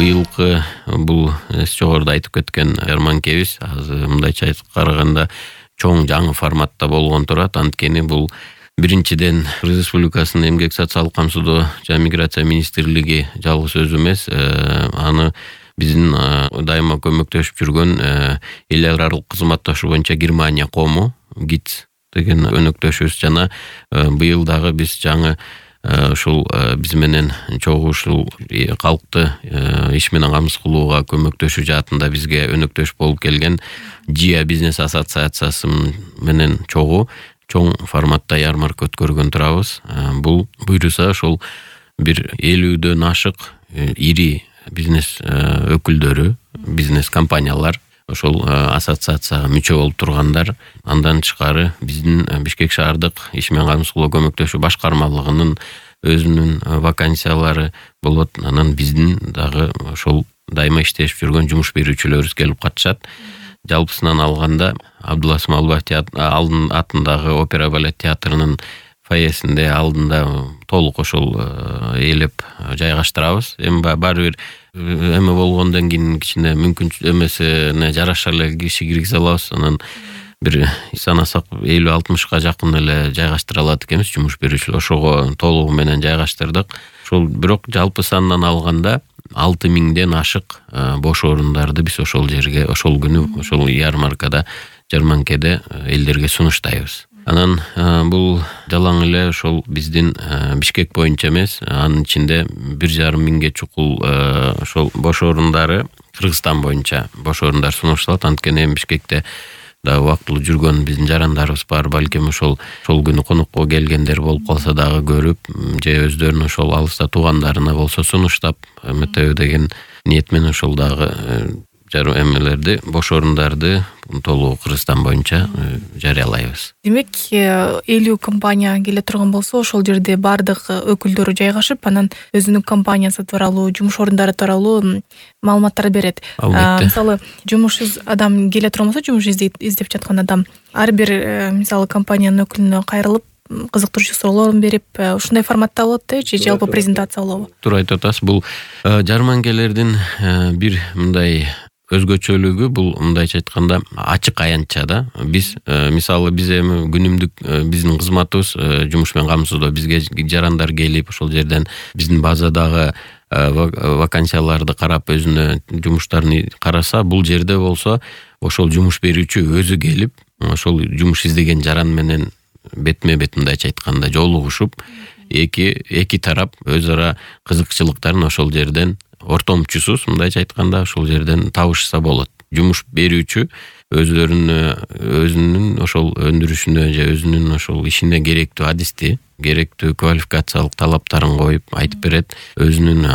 быйылкы бул жогоруда айтып кеткен жарманкебиз азыр мындайча айтып караганда чоң жаңы форматта болгон турат. Анткени бул биринчиден Кыргыз Республикасынын Эмгек социалдык камсыздоо жана миграция министрлиги жалгыз өзү эмес, аны биздин дайыма көмөктөшүп жүргөн эл аралык кызматташуу боюнча Германия кому ГИЦ деген өнөктөшүбүз жана быйыл дагы биз жаңы ушул биз менен чогуу ушул калкты иш менен камсыз кылууга көмөктөшүү жаатында бизге өнөктөш болуп келген ЖИА бизнес ассоциациясы менен чогуу чоң форматта ярмарка өткөргөн турабыз. Бул буйруса ошол бир 50дөн ашык ири бизнес өкүлдөрү, бизнес компаниялар ошол ассоциацияга мүчө болуп тургандар, андан тышкары биздин Бишкек шаардык иш менен камсыз кылуу көмөктөшүү башкармалыгынын өзүнүн вакансиялары болот. Анан биздин дагы ошол дайыма иштешип жүргөн жумуш берүүчүлөрүбүз келип катышат. Жалпысынан алганда Абдулла Смалбаев атындагы опера балет театрынын фойесинде алдында толук ошол ээлеп жайгаштырабыз. Эми баары бир эме болгондон кийин кичине мүмкүнчүлүк эмесине жараша эле киши киргизе алабыз. Анан бир санасак 50-60ка жакын эле жайгаштыра алат экенбиз жумуш берүүчүлөр. Ошого толугу менен жайгаштырдык. Ошол бирок жалпы сандан алганда 6000ден ашык бош орундарды биз ошол жерге, ошол күнү, ошол ярмаркада, жарманкеде элдерге сунуштайбыз. Анан бул жалаң эле ошол биздин Бишкек боюнча эмес, анын ичинде 1,5 миңге чукул ошол бош орундары Кыргызстан боюнча бош орундар сунушталат. Анткени эми Бишкекте да убактылуу жүргөн биздин жарандарыбыз бар. Балким ошол күнү конокко келгендер болуп калса дагы көрүп, же өздөрүнүн ошол алыста туугандарына болсо сунуштап эметеби деген ниет менен ошол дагы эмелерди, бош орундарды толугу Кыргызстан боюнча жарыялайбыз. Демек, 50 компания келе турган болсо, ошол жерде бардык өкүлдөрү жайгашып, анан өзүнүн компаниясы тууралуу, жумуш орундары тууралуу маалыматтар берет. Мисалы, жумушсуз адам келе турган болсо, жумуш издеп жаткан адам ар бир мисалы компаниянын өкүлүнө кайрылып, кызыктыруучу суроолорун берип, ушундай форматта болот же жалпы презентация болобу? Туура айтып атасыз. Бул жарманкелердин бир мындай өзгөчөлүгү, бул мындайча айтканда ачык аянтча да. Биз мисалы биз эми күнүмдүк биздин кызматыбыз жумуш менен камсыздоо, бизге жарандар келип ошол жерден биздин базадагы вакансияларды карап өзүнө жумуштарын караса, бул жерде болсо ошол жумуш берүүчү өзү келип ошол жумуш издеген жаран менен бетме-бет мындайча айтканда жолугушуп, эки тарап өз ара кызыкчылыктарын ошол жерден ортомчусуз мындайча айтканда ошол жерден табышса болот. Жумуш берүүчү өзүнүн ошол өндүрүшүнө же өзүнүн ошол ишине керектүү адисти, керектүү квалификациялык талаптарын коюп айтып берет. Өзүнүн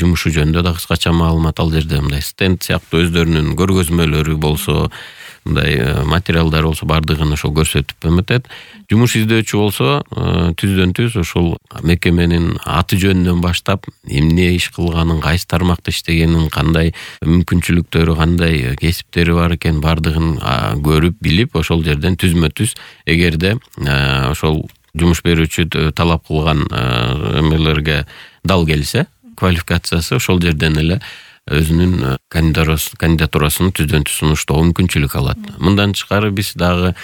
жумушу жөнүндө да кыскача маалымат ал жерде мындай стенд сыяктуу өздөрүнүн көргөзмөлөрү болсо, мындай материалдар болсо бардыгын ошол көрсөтүп эметет. Жумуш издөөчү болсо түздөн-түз ошол мекеменин аты жөнүнөн баштап эмне иш кылганын, кайсы тармакта иштегенин, кандай мүмкүнчүлүктөрү, кандай кесиптери бар экен бардыгын көрүп билип ошол жерден түзмө-түз эгерде ошол жумуш берүүчү талап кылган эмелерге дал келсе, квалификациясы ошол жерден эле өзүнүн кандидатурасын түздөн-түз сунуштоо мүмкүнчүлүк алат. Мындан тышкары биз дагы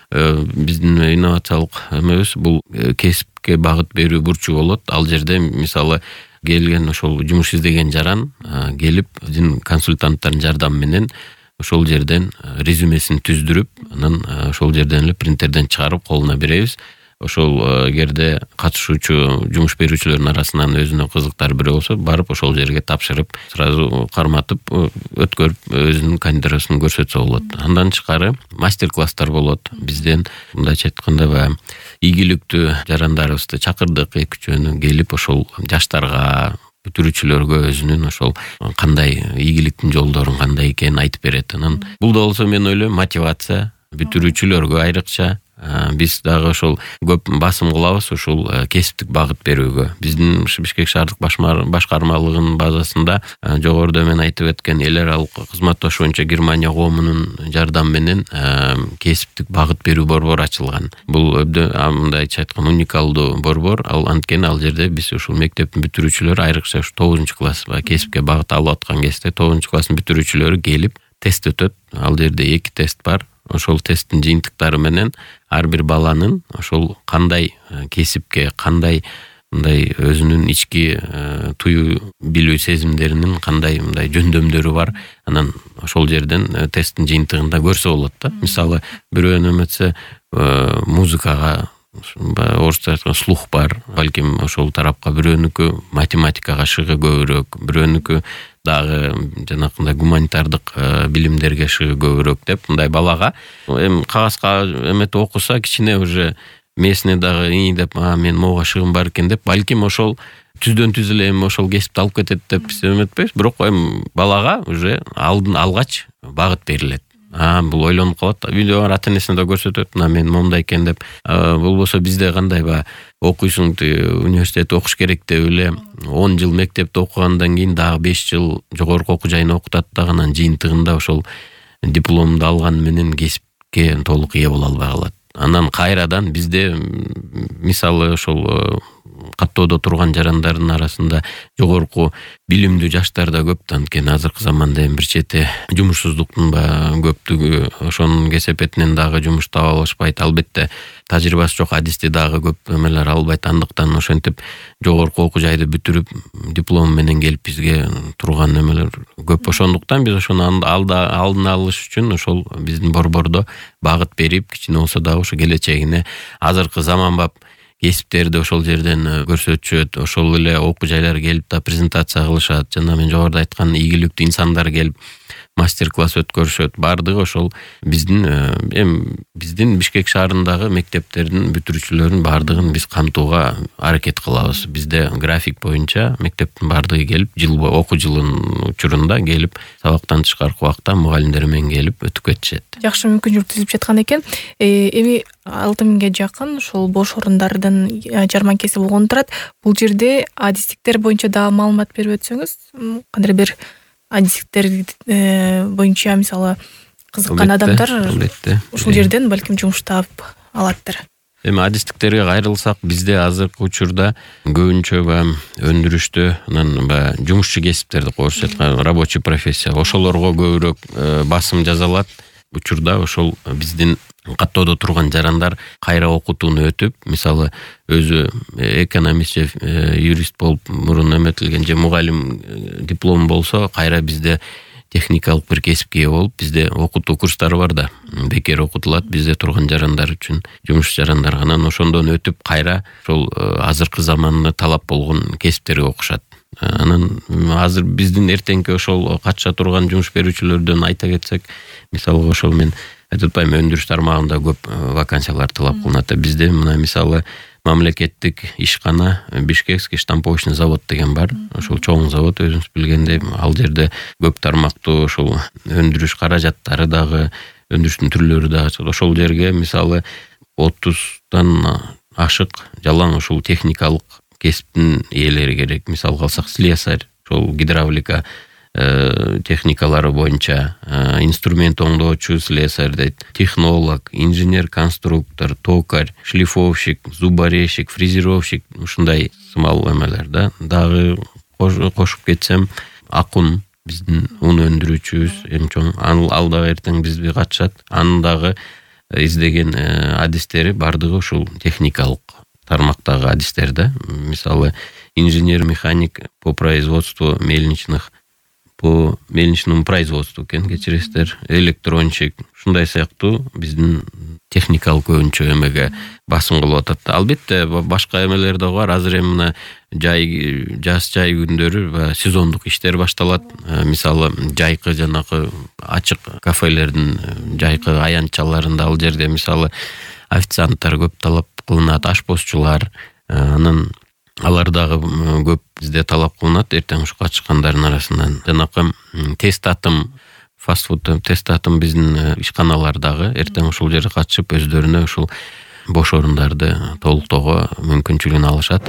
биздин инновациялык эмебиз бул кесипке багыт берүү бурчу болот. Ал жерде мисалы келген ошол жумуш издеген жаран келип биздин консультанттардын жардамы менен ошол жерден резюмесин түздүрүп, анан ошол жерден эле принтерден чыгарып колуна беребиз. Ошол эгерде катышуучу жумуш берүүчүлөрдүн арасынан өзүнө кызыктар бирөө болсо, барып ошол жерге тапшырып, сразу карматып өткөрүп өзүнүн кандидатурасын көрсөтсө болот. Андан тышкары мастер-класстар болот. Бизден мындайча айтканда баягы ийгиликтүү жарандарыбызды чакырдык, эки-үчөөнү келип ошол жаштарга, бүтүрүүчүлөргө өзүнүн ошол кандай ийгиликтин жолдорун кандай экенин айтып берет. Анан бул да болсо мен ойлойм мотивация бүтүрүүчүлөргө айрыкча Биз дагы ошол көп басым кылабыз ушул кесиптик багыт берүүгө. Биздин Бишкек шаардык башкармалыгынын базасында жогоруда мен айтып өткөн эл аралык кызматташуу боюнча Германия коомунун жардамы менен кесиптик багыт берүү борбору ачылган. Бул мындайча айтканда уникалдуу борбор. Анткени ал жерде биз ушул мектептин бүтүрүүчүлөрү, айрыкча 9-класс кесипке багыт алып аткан кезде 9-класстын бүтүрүүчүлөрү келип тест өтөт. Ал жерде 2 тест бар. Ошол тесттин жыйынтыктары менен ар бир баланын ошол кандай кесипке, кандай мындай өзүнүн ички тую билүү сезимдеринин кандай мындай жөндөмдөрү бар. Анан ошол жерден тесттин жыйынтыгында көрсө болот да. Мисалы, бирөө неметсе музыкага, орусча айтканда слух бар, балким ошол тарапка, бирөөнүкү математикага шыгы көбүрөөк, бирөөнүкү дагы жанакындай гуманитардык билимдерге шыгы көбүрөөк деп мындай балага эми кагазга эметип окуса кичине уже мээсине дагы деп мен могуга шыгым бар экен деп, балким ошол түздөн түз эле эми ошол кесипти алып кетет деп биз эметпейбиз. Бирок эми балага уже алгач багыт берилет. Бул ойлонуп калат. Видео бар, ата-энесине да көрсөтөт. Мен момундай экен деп. Болбосо бизде кандай окуйсуң, университетте окуш керек деп эле 10 жыл мектепте окугандан кийин дагы 5 жыл жогорку окуу жайына окутат дагы, анан жыйынтыгында ошол дипломду алган менен кесипке толук ээ боло албай калат. Анан кайрадан бизде мисалы ошол каттоодо турган жарандардын арасында жогорку билимдүү жаштар да көп. Анткени азыркы заманда эми бир чети жумушсуздуктун көптүгү ошонун кесепетинен дагы жумуш таба алышпайт. Албетте тажрыйбасы жок адисти дагы көп эмелер албайт. Андыктан ошентип жогорку окуу жайды бүтүрүп диплом менен келип бизге турган эмелер көп. Ошондуктан биз ошону алдын алыш үчүн ошол биздин борбордо багыт берип, кичине болсо дагы ошо келечегине азыркы заманбап кесиптерди ошол жерден көрсөтүшөт. Ошол эле окуу жайлар келип да презентация кылышат. Жана мен жогоруда айткан ийгиликтүү инсандар келип мастер-класс өткөрүшөт. Бардыгы ошол биздин Бишкек шаарындагы мектептердин бүтүрүүчүлөрүнүн бардыгын биз камтууга аракет кылабыз. Бизде график боюнча мектептин бардыгы келип, окуу жылынын учурунда келип, сабактан тышкаркы убакта мугалимдер менен келип өтүп кетишет. Жакшы мүмкүнчүлүк түзүп жаткан экен. Эми 6000ге жакын ошол бош орундардын жарманкеси болгон турат. Бул жерде адистиктер боюнча дагы маалымат берип өтсөңүз, кандай бир адистиктер боюнча мисалы кызыккан адамдар ушул жерден балким жумуш таап алаттыр. Эми адистиктерге кайрылсак, бизде азыркы учурда көбүнчө өндүрүштө анан жумушчу кесиптерди орусча айтканда рабочий профессия, ошолорго көбүрөөк басым жасалат. Учурда ошол биздин каттоодо турган жарандар кайра окутууну өтүп, мисалы өзү экономист же юрист болуп мурун эметилген же мугалим диплом болсо, кайра бизде техникалык бир кесипке ээ болуп, бизде окутуу курстары бар да, бекер окутулат бизде турган жарандар үчүн, жумуш жарандар. Анан ошондон өтүп кайра ошол азыркы заманда талап болгон кесиптерге окушат. Анан азыр биздин эртеңки ошол катыша турган жумуш берүүчүлөрдөн айта кетсек, мисалы ошол мен айтып атпайм, өндүрүш тармагында көп вакансиялар талап кылынат. Бизде мына мисалы мамлекеттик ишкана Бишкекский штамповочный завод деген бар. Ошол чоң завод, өзүңүз билгендей, ал жерде көп тармактуу ошол өндүрүш каражаттары дагы, өндүрүштүн түрлөрү дагы. Ошол жерге мисалы 30 ашык жалаң ошол техникалык кесиптин ээлери керек. Мисалга алсак, слесарь, ошол гидравлика техникалары боюнча, инструмент оңдоочу слесарь дейт, технолог, инженер-конструктор, токарь, шлифовщик, зуборезчик, фрезеровщик, ушундай сымал эмелер да. Дагы кошуп кетсем, акун, биздин ун өндүрүүчүбүз эң чоң, ал дагы эртең бизге катышат. Анын дагы издеген адистери бардыгы ушул техникалык тармактагы адистер да. Мисалы инженер-механик по производству мельничному производству кечиресиздер, электронщик, ушундай сыяктуу биздин техникалык көбүнчө эмеге басым кылып атат. Албетте башка эмелер да бар. Азыр эми мына жаз жай күндөрү сезондук иштер башталат. Мисалы жайкы жанакы ачык кафелердин жайкы аянтчаларында ал жерде мисалы официанттар көп талап кылынат, ашпозчулар, анан алар дагы көп бизде талап кылынат. Эртең ушу катышкандардын арасынан жанакы тест атым фастфуд тестатын биздин ишканалар дагы эртең ушул жерге катышып өздөрүнө ушул бош орундарды толуктоого мүмкүнчүлүгүн алышат.